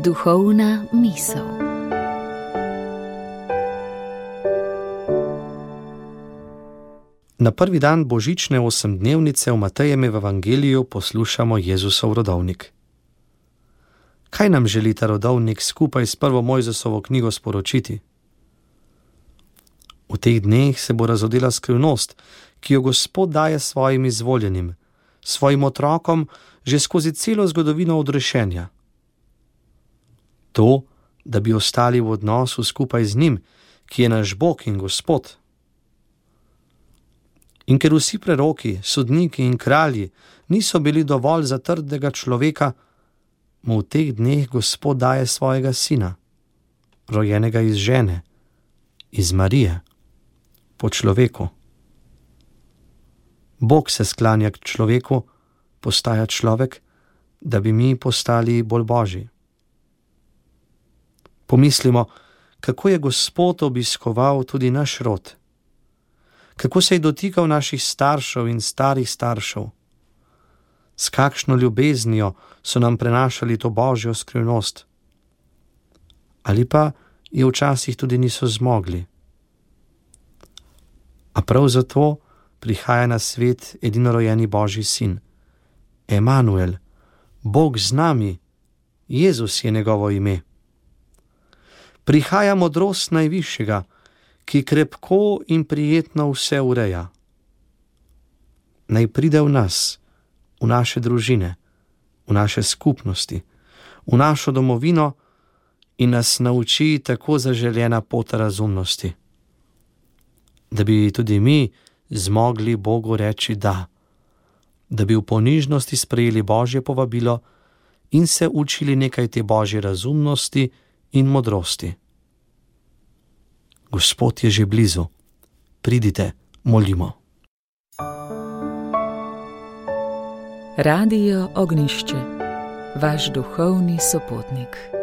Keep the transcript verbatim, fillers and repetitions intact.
Duhovna misel. Na prvi dan božične osemdnevnice v Matejevem evangeliju poslušamo Jezusov rodovnik. Kaj nam želi ta rodovnik skupaj s prvo Mojzesovo knjigo sporočiti? V teh dneh se bo razodela skrivnost, ki jo Gospod daje svojim izvoljenim, svojim otrokom že skozi celo zgodovino odrešenja. To, da bi ostali v odnosu skupaj z njim, ki je naš Bog in Gospod. In ker vsi preroki, sodniki in kralji niso bili dovolj za trdega človeka, mu v teh dneh Gospod daje svojega sina, rojenega iz žene, iz Marije, po človeku. Bog se sklanja k človeku, postaja človek, da bi mi postali bolj božji. Pomislimo, kako je Gospod obiskoval tudi naš rod, kako se je dotikal naših staršev in starih staršev, s kakšno ljubeznijo so nam prenašali to božjo skrivnost. Ali pa je včasih tudi niso zmogli. A prav zato prihaja na svet edinorojenji Božji sin, Emanuel, Bog z nami, Jezus je njegovo ime. Prihaja modrost najvišjega, ki krepko in prijetno vse ureja. Naj pride v nas, v naše družine, v naše skupnosti, v našo domovino in nas nauči tako zaželjena pot razumnosti. Da bi tudi mi zmogli Bogu reči da, da bi v ponižnosti sprejeli Božje povabilo in se učili nekaj te Božje razumnosti in modrosti. Gospod je že blizu. Pridite, molimo. Radio Ognjišče, vaš duhovni sopotnik.